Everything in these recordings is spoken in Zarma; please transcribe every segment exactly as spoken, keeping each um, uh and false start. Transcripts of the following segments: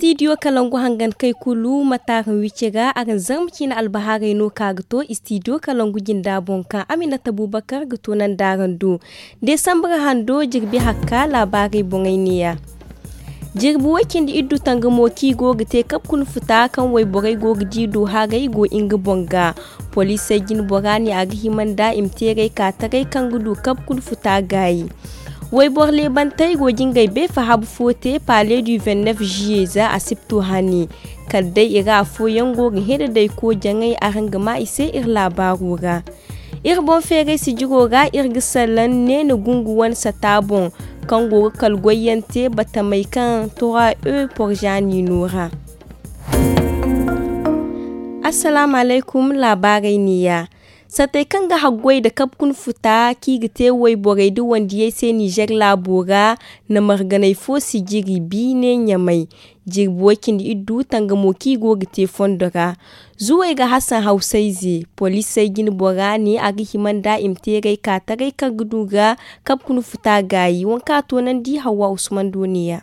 Istidiyo kalangu hangan kay kulu ma taaraŋ wici ra araŋ zarma ciine albahaarey no ka ga to istidiyo kalangu jinda boŋ kaŋ aminata bubakar ga to nandaaran do. Desambar hando jirbi hakka laabaarey boŋey neeya. Jirbi way cindi iddu tangamo kaŋ i go ga te kabe kuna futa kaŋ wayborey go ga di do haray go nga boŋ ga. Poliisey jine bora ne a ga hima nda i ma teeray ka taray kaŋ ga du kabe kuna futa gaayi. Wayboro leebantey go ga ngey beefa habu fo te pale du vingt-neuf juillet za asibto hane. Kala day i ra afooyaŋ go ga hẽe da day koojaŋey araŋ ga maa i se iri laabaaro ra. Iri boŋ feeray sijiro ra iri ga salaŋ neena gungu wane sata boŋ kaŋ go ga kala goyyaŋ te batamey kaŋ trois e porza niino ra. Assalaamu alaykum. Laabaarey neeya. Satey kaŋ ga haggoy nda kabe kuna futa kaŋ i ga te wayborey nda wandiyey se nizer laabo ra na marganey fo sijiri biine ɲamay. Jirbi way cindi iddu tangamo kaŋ i go ga te fondo ra. Zuwey ga hasan hawsayze poliisey jine bora ne a ga hima nda i ma teeray ka taray kaŋ ga du ga kabe kuna futa gaayi waŋ kaŋ a toonandi hawwa usman do neeya.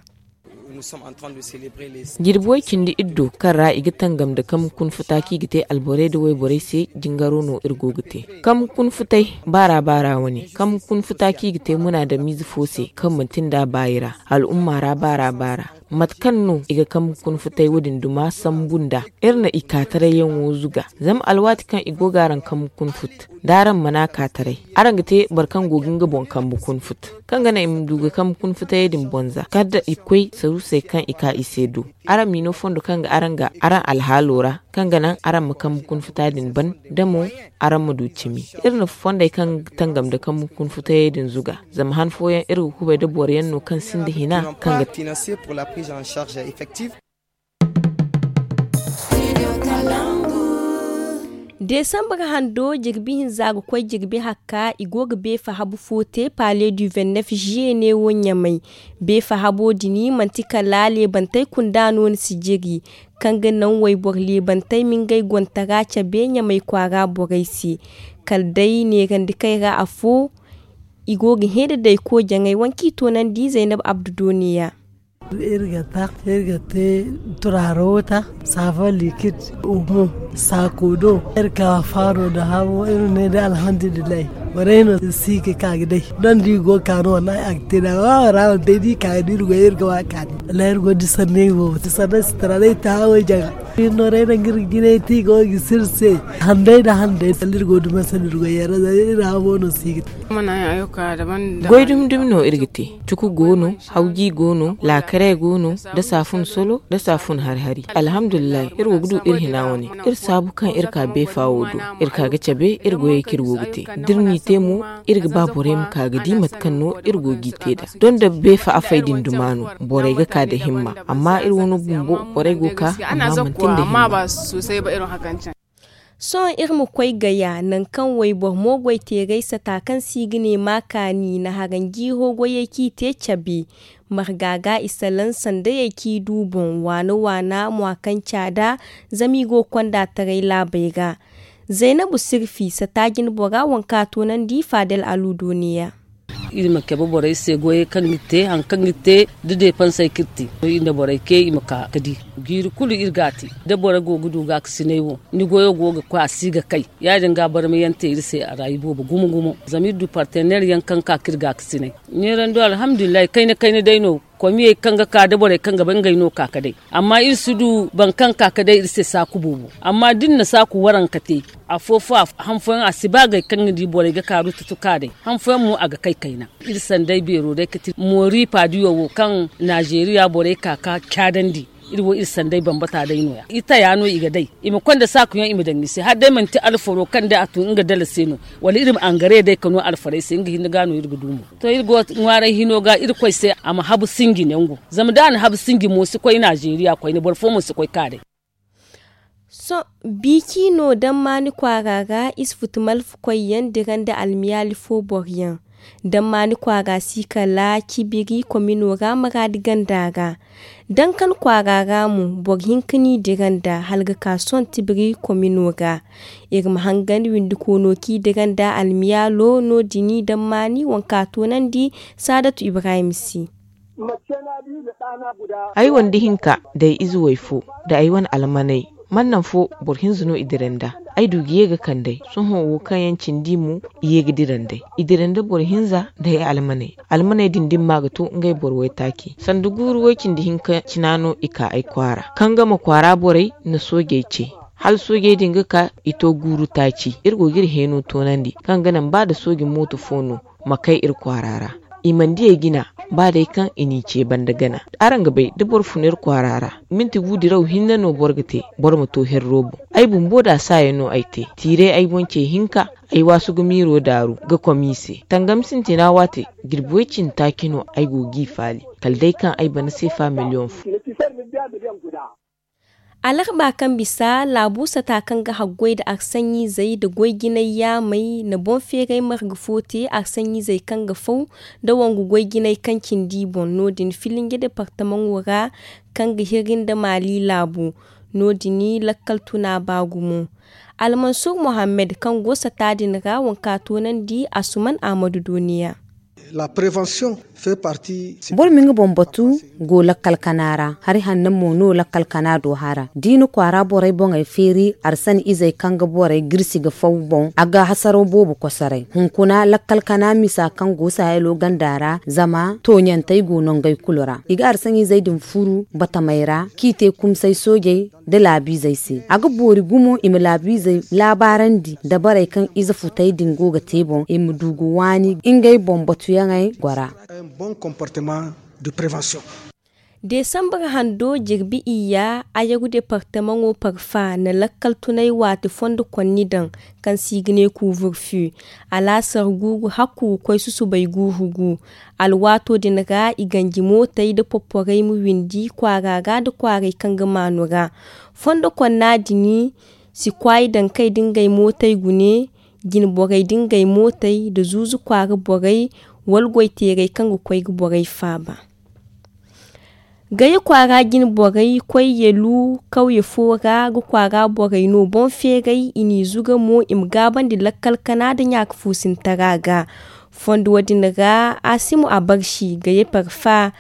Jirbi way cindi iddu kaŋ ra i ga tangam nda kabe kuna futa kaŋ i ga te alborey nda wayborey se jingaro no iri go ga te. Kabe kuna futay baara baara wane kabe kuna futa kaŋ i ga te munaadamiize fo se kaŋ manti nda baayi ra al'umma ra baara baara. Mate kaŋ no i ga kabe kuna futay wo- din duma sambu nda iri na i kaataray yaŋo zuga. Zama alwaati kaŋ i go ga araŋ kabe kuna fut da araŋ mana kaataray araŋ ga te boro kaŋ go ga nga boŋ kambe kuna fut kaŋ ga naŋ i ma du ga kambe kuna futayey din bonza kala da i koy saruusey kaŋ i ka i se do. Araŋ m'i no fondo kaŋ ga araŋ ga araŋ alhaalo ra kaŋ ga naŋ araŋ ma kambe kuna futa din ban da mo araŋ ma du cimi. Iri na fondey kaŋ ga tangam nda kambe kuna futayey din zuga zama han fooyaŋ iri ga kubay nda boro yaŋ no kaŋ sinda hina kaŋ ga te. Desambar hando jirbi hinza ga koy jirbi hakka i go ga beefa habu fo te pale du vingt-neuf juillet ne wo ɲamay. Beefa habo dini manti kala leebantey kunda no ni si jiri kaŋ ga naŋ wayboro leebantey ma ngey gontara cabe ɲamay kwaara borey se. Kala day neerandi kay ra afo i go ga hẽe da day koojaŋey waŋ kaŋ i toonandi zaynab abdu do neeya. Iri ga ta iri ga te turaaro ta saafa likid umo saako do. Iri ka faaro nda hamo iri ne day alhamdulillahi. Borey no si ga ka ga day. Donda i go ga ka no wallahi a ga te da waawara wane day da i ka ga di iri goy iri ga wa kaani. Wallahi iri go ga di sanney wo ti sanney si tara day ta hawey jaŋa. Iri no day nangu iri ga jinay te i go ga sirse handay nda handay sanda iri go ga duma sanda iri goy yaŋ ra zama iri hamo no si ga te. Goy dumi dumi no iri ga te. Cuku go no, hawji go no, laakare go no, da saafun solo, da saafun hari hari. Alhamdulillahi iri go ga du iri hina wane. Iri saabu kaŋ iri ka beefa wo do. Iri ka ga cabe iri goyey kaŋ iri go ga te. Da iri n'i te mo iri ga ba borey ma ka ga di mate kaŋ no iri go g'i te nd'a. Donda beefa afey din duma no borey ga ka nda himma. Amma iri wano bumbo borey go ga ka amma manti nda himma. Sohõ iri ma koy gaya nangu kaŋ wayboro mo goy teeray sata kaŋ se i ga ne ma kaani na haranji hoogoyey kaŋ i te cabe. Marga ga i salaŋ sandayey kaŋ i du boŋ waana waana mwa kaŋ caada. Zama i go ga konda taray laabey ra. Zaynabu sirfi sata jine bora waŋ kaŋ a toonandi faadel alu do neeya. Iri ma cabe borey se goyey kaŋ ga te hari kaŋ ga te da deepansey kaŋ iri te. Iri nda borey kay i ma ka ga di jiiri kulu iri ga a te. Da boro go ga du gaakasinay wo ni goyo go ga koy a si ga kay. Ya- din ga barmayaŋ te iri se a ra iboobo gumo gumo zama iri du parteneer yaŋ kaŋ ga ka ga iri gaakasinay. Neerando alhamdulillahi kayna kayna day no. Komiyey kaŋ ga ka da borey kaŋ ga ba ngey no ka ga day. Amma iri si du boro kaŋ ka ga day iri se saaku boobo. Amma da iri na saaku waranka te afo fo han fooyaŋ a si ba gay kaŋ ga di borey ga kaaru tutu ka day. Han fooyaŋ mo a ga kay kayna. Iri sanday beero day ga ti moori paadiyo wo kaŋ naazeeriya borey ka ga caadandi. Iri wo iri sanday bambata day no- ya i taya no i ga day. I ma konda saakuyaŋ i ma daŋ ni se hala day manti alfaro kaŋ day a tun nga dala se no. Wala iri ma angare day ka no alfarey se nga hinne ga no iri ga du mo. To iri go ŋwaaray hino ga irkoy se a ma habu sinji nangu. Zama da a na habu sinji mo si koy naazeeriya koyne boro fo mo si koy ka day. Sohõ biiki no dammaani kwaara ra isufutu malfakoyyaŋ dira nda almiyaali fo boroyaŋ. Dammaani kwaara si kala cibiri komino ra maraadi ganda ra. Dankan kwaara ra mo boro hinka n'i dira nda hala ga ka sohõ tibiri komino ra. Iri ma hangan windi koono kaŋ i dira nda almiyaalo no- din dammaani waŋ kaŋ a toonandi. Saadatu ibrahim se. Ay wane da hinka da ay ize way fo, da ay wane almaney, man naŋ fo boro hinza no i dira nd'a. Ay du ga ye ga kand'ey sohõ wo kaŋ yaŋ cindi mo, i ye ga dira nd'ey. I dira nda boro hinza da ay almaney. Almaney din dimma ga to ngey boro waytaaci sanda guuru way-cindi hinka cina no i ka ay kwaara. Kaŋ ga ma kwaara borey na soojey ce, hala soojey din ga ka i to guuru taaci. Iri go ga iri heeno toonandi kaŋ ga naŋ ba da sooji mooto fo no ma kay iri kwaara ra. I mana diyey jina, ba day kaŋ i n'i ce banda gana. Araŋ ga bay da boro fun iri kwaara ra, minti gu diraw hinne no boro ga te, boro ma to herro boŋ. Ay bumbo da saayaŋ no ay te. Tiiray ay boŋ ce hinka, ay waasu ga miiro daaru ga komiise. Tangam sintina waate, jirbi way-cindi taaci no ay go g'i faali, kala day kaŋ ay bana seefa miliyoŋ fo. Alarba kaŋ bisa laabu sata kaŋ ga haggoy nda arsaɲizey nda goy-jinay yaamey na boŋ feeray marga fo te arsaɲizey kaŋ ga faw nda wangu goy-jinay kaŋ cindi boŋ. No- din filinje departamaŋo ra kaŋ ga hiri nda maali laabu. No- din lakkal tuna ba gumo. Almansur mohammed kaŋ go sata din ra, wanka toonandi asuman ahmadu doniya. Boro ma nga boŋ batu go lakkal kana ra. Hari hanno mo no lakkal kana do hara da i na kwaara borey boŋey feeri, arsan izey kaŋ ga borey girsi ga faw boŋ a ga hasaraw boobo kosoray. Hunkuna lakkal kana misa kaŋ go sahelo ganda ra, zama tooɲantey go no ngey kulu ra. I ga arsan izey din furu batamey ra k'i te kumsay soojey nda laabiizey se. A ga boori gumo i ma laabiizey laabaarandi dabarey kaŋ ize futey din go ga te boŋ, i ma du ga waani ngey boŋ batuyaŋey gora. Deesambar hando jirbi iyya, ayagu departamaŋo parfa na lakkal tunay waati fondo konni daŋ, kaŋ se i ga ne kuuburfi. Alaasar guuru hakku ga koy susubay guuru gu. Alwaato din ra i ganji mootey nda popporey ma windi kwaara ra nda kwaaray kaŋ ga maanu ra. Fondo konna din si kwaay daŋ kay nda ngey mootey gune, jinborey nda ngey mootey nda zuuzu kwaara borey, wala goyteerey kaŋ ga koy ga borey faaba. Gaya kwaara jine borey koy yelu kawye fo ra ga kwaara borey no boŋ feeray i n'i zuga mo i ma gaabandi lakkal kana nda ɲaaka fuusintara ga. Fondo wo- din ra, asimu abarsi gaya parfa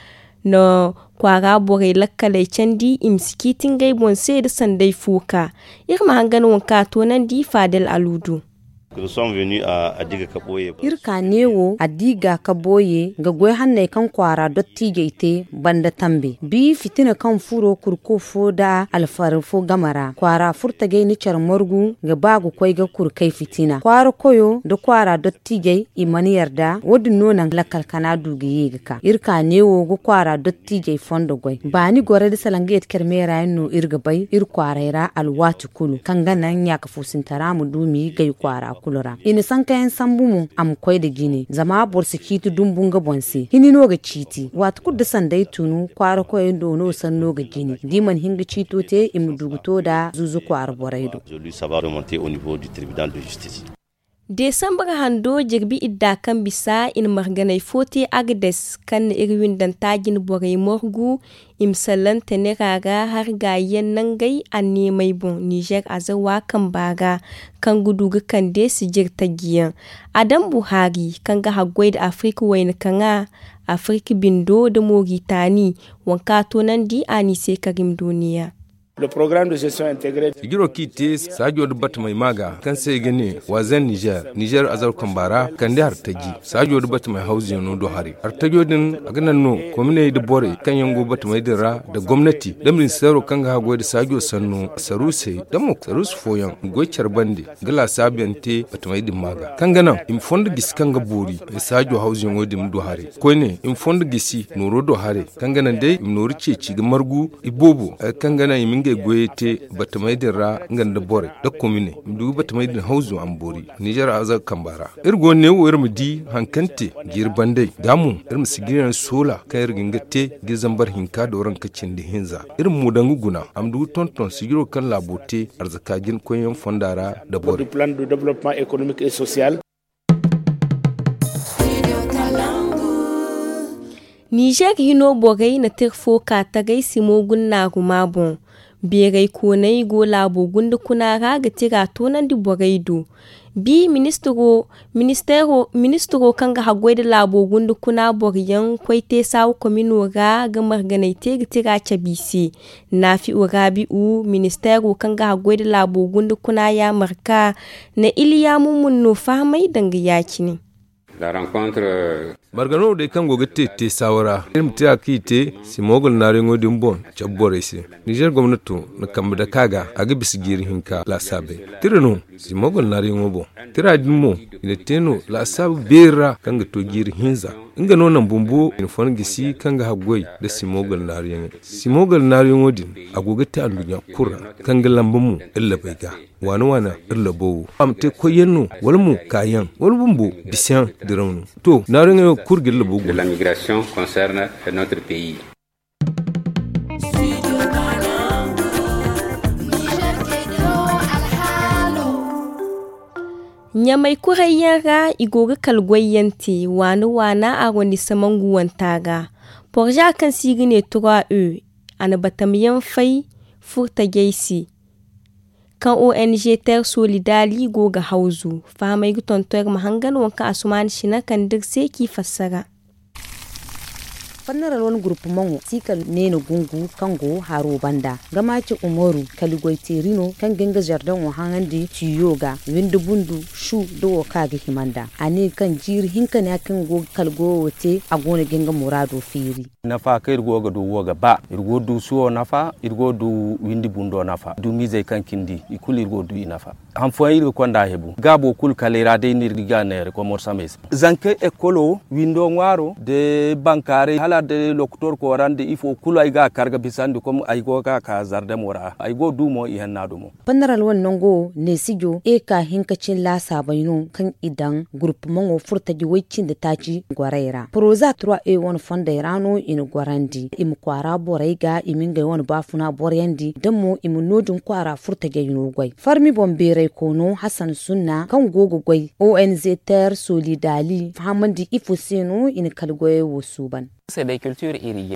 na kwaara borey lakkaley candi i ma si ciiti ngey boŋ se nda sanday fo ka. Iri ma hangan waŋ kaŋ a toonandi faadel aluudu. Iri ka neewo addiga ka booye ga goy hanney kaŋ kwaara dottiijey te banda tambe bi fitina kaŋ furo kurko fo nda alfari fo game ra kwaara furtajey na care margu ga ba ga koy ga kurkay fitina kwaara koyo nda kwaara dottiijey i mana yarda wo- din no naŋ lakkal kana du ga ye ga ka iri ka neewo ga kwaara dottiijey fondo goy baani gorey nda salaŋ ga yeti care meera yaŋ no iri ga bay iri kwaaray ra alwaati kulu kaŋ ga naŋ ɲaaka fuusintara ma du m'i gay kwaara kulu ra i na sankayaŋ sambu mo a ma koy nda jine zama boro si ciiti dumbu nga boŋ se hini no ga ciiti waati kulu da sanday tunu kwaara koyey do no sanno ga jine da i mana hin ga ciito te i ma du ga to nda zuuzu kwaara borey do. Deesambar hando jirbi idda kaŋ bisa i na marganey fo te agades kaŋ na iri windanta jine borey margu i ma sallante nera ra hari gaayiyaŋ nangey anneemey boŋ nizer azawa kamba ra kaŋ ga du ga kande sijir tajiyaŋ. Adam buhari kaŋ ga haggoy nda afirika wayna kaŋa afirika bindo nda moritani waŋ kaŋ a toonandi a n'i se karim duniya. Sijiro kaŋ i te saajo nda batamey maaga kaŋ se i ga ne waazen nizer nizer azar kamba ra kande hartaji saajo nda batamey hawzuyaŋo do haray hartajo din a ga naŋ no kominey nda borey kaŋ yaŋ go batamey din ra nda gomnati nda ministeero kaŋ ga haggoy nda saajo sanno saruusey nda mo saruusu fooyaŋ ga goy care bande ga laasaabuyaŋ te batamey din maaga kaŋ ga naŋ i ma fondo gisi kaŋ ga boori saajo hawzuyaŋo din ma du haray koyne i ma fondo gisi nooro do haray kaŋ ga naŋ day i ma nooru ceeci ga margu iboobo hari kaŋ ga naŋ i ma ngey goyey te batamey din ra nga nda borey nda komine i ma du ga batamey din hawzu a ma boori nizer azaga kamba ra iri go ga ne wo iri ma di hari kaŋ te jiiri bandey da mo iri ma si ga iri yaŋ soola kaŋ iri ga hin ga te ga iri zambar hinka dooranka cindi hinza iri ma mo daŋ ga guna a ma du ga tonton sijiro kaŋ laabo te arzaka jina koyyaŋ fonda ra nda borey. Nizer hino borey na tira fo ka tagay simo gunnaaruma boŋ. Beeray kooney go laabo gunda kuna ra ga tira toonandi borey do. Bi ministiro kaŋ ga haggoy nda laabo gunda kuna boro yaŋ koy te saawa komino ra ga marganay te ga tira cabe i se. Naafi'u raabi'u ministeero kaŋ ga haggoy nda laabo gunda kuna yaamarka na iliya mumun no fahamay danga ya-cine. Margano day kaŋ go ga te te saawa ra iri ma tira kaŋ i te simogol naariyaŋo din boŋ cabe borey se. Nizer gomnato na kambe dake a ga a ga bisa jiiri hinka laasaabey. Tira no simogol naariyaŋo boŋ. Tira din mo i na te no laasaabu beeri ra kaŋ ga to jiiri hinza. Nga no naŋ bumbo i na fon gisi kaŋ ga haggoy nda simogol naariyaŋey. Simogol naariyaŋo din a go ga te anduɲɲa kulu ra kaŋ ga lamba mo iri labey ga. Waana waana iri labo wo a ma te koyyaŋ no wala mo kaayaŋ wala bumbo bisayaŋ diraw no. To naariyaŋey wo kulu ga iri labo guna. Ɲamay kurayyaŋ ra i go ga kala goyyaŋ te waana waana arrondissement nguwanta ga. Porza kaŋ se i ga ne trois e a na batamyaŋ fay furtajey se. Kaŋ ong terre solidali go ga hawzu fahamey ga tonton iri ma hangan waŋ kaŋ asumaani sina kande iri se k'i fassara. Fanaral wane gurpumaŋo si kala neena gungu kaŋ go haro banda gama ci umaru kala goy teeri no kaŋ ga nga zardaŋo haŋandi tiyo ga windi bundu su da wo kaŋ a ga hima nd'a a ne kaŋ jiiri hinka ne a kaŋ go ga kala goyo te a go no ga nga muraado feeri. Nafa kaŋ iri go ga du wo ga ba iri go ga du suwo nafa iri go ga du windi bundo nafa dumiizey kaŋ cindi i kulu iri go ga du i nafa. Han fooyaŋ iri ga konda hebu gaabo kulu kala i ra day no iri ga neera komor samey se. Zankey ekolo windo ŋwaaro nda bankaaray hala nda lokotor koora nda ifo kulu ay ga a kar ga bisandi kom ay go ga ka zardamo ra ay go ga du mo i hanna dumo. Panaral wane nango neesijo eka hinka cin laasaabey no kaŋ i daŋ gurpumaŋo furtaji way cindi taaci gorey ra poroza trois e wane fondey ra no i na gorandi i ma kwaara borey ga i ma ngey wane baafuna boryandi da mo i ma no- din kwaara furtajey no goy farmi boŋ beeray koono hasan sunna kaŋ go ga goy ong terre solidali fahamandi ifo se no i na kala goyey wo suuban.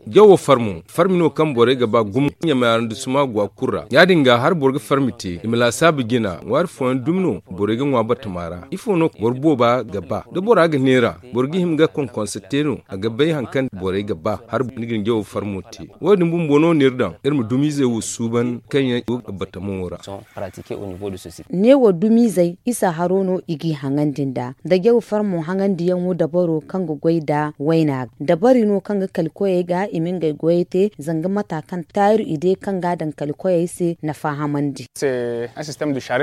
Jawo farmo farmi no kaŋ borey ga ba gumo ɲamay arrondissement gwa kulu ra ya- din ga hala boro ga farmi te i ma laasaabu jina ŋwaari fooyaŋ dumi no borey ga ŋwa batama ra ifo no boro booba ga ba da bora ga neera boro ga hima ga konkonse te no a ga bay hari kaŋ borey ga ba hala ni ga ni jawo farmo te. Wo- din bumbo no no iri daŋ iri ma dumiizey wo suuban kaŋ yaŋ i go ga batamo ra. Neewo dumiizey isa haro no i g'i haŋandi nd'a nda jaw farmo haŋandiyaŋo dabaro kaŋ ga goy nda wayna ga dabari no kaŋ ga kala koyey ga i ma ngey goyey te zanga mata kaŋ taaru i day kaŋ ga a daŋ kala koyey se nafa hamandi.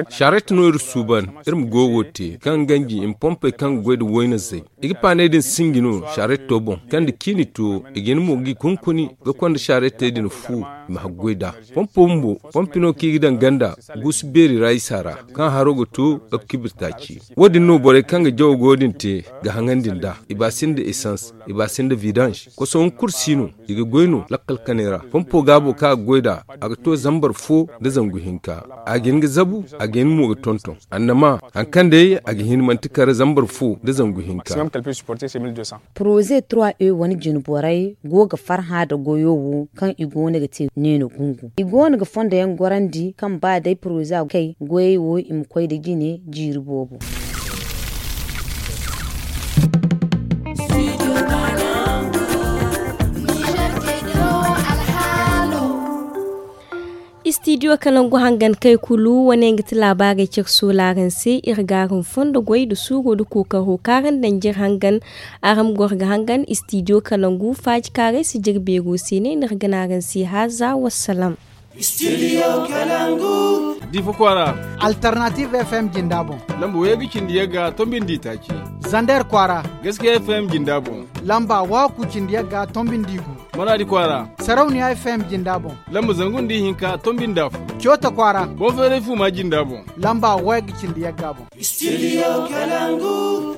Saret no iri suuban iri ma goyo wo te kaŋ ganji i ma pompey kaŋ ga goy nda wayna zay i ga paaney din sinji no saretto boŋ kaŋ nda ciini to i ga hin mo g'i kunkuni ga konda sarettey din fu i ma haggoy nd'a. Pompo bumbo pompi no kaŋ i ga daŋ ganda guusu beeri ra isa ra kaŋ haro ga to ga kibir taaci. Wo- din no borey kaŋ ga jawo goyo din te ga haŋandi nd'a i ba sinda esans i ba sinda vidange koso hunkuru si no i ga goy no lakkal kanay ra pompo gaabo kaŋ a ga goy nd'a a ga to zambar fo nda zangu hinka. A ga hin ga zabu a ga hin mo ga tonton annama hari kaŋ day a ga hin manti kare zambar fo nda zangu hinka. Poroze trois e wane jine borey go ga farhã nda goyo wo kaŋ i go no ga te neena gungu i go no ga fondo yaŋ gorandi kaŋ ba day poroze a kay goyey wo i ma koy nda jine jiiri boobo. Istidiyo kalangu hangan kay kulu wane ga ti laabaarey care soolaaran se iri ga araŋ fondo goy nda suuro nda kookaro kaŋ araŋ daŋ jire hangan. Araŋ ma goro ga hangan istidiyo kalangu faaji kaarey si jire beero se ne no iri ga ne araŋ se haaza wassalam. Difa kwaara. Alternative fm jinda boŋ. Lamba waygu cindi yagga tombindi taaci. Zander kwaara. Gaskiya fm jinda boŋ. Lamba waaku cindi yagga tombindi gu. Manaadi kwaara. Sarauniya fm jinda boŋ. Lamba zangu nda ihinka tombindi afo. Coota kwaara. Boŋ feeray fuuma jinda boŋ. Lamba waygu cindi yagga boŋ. Studio kalangu.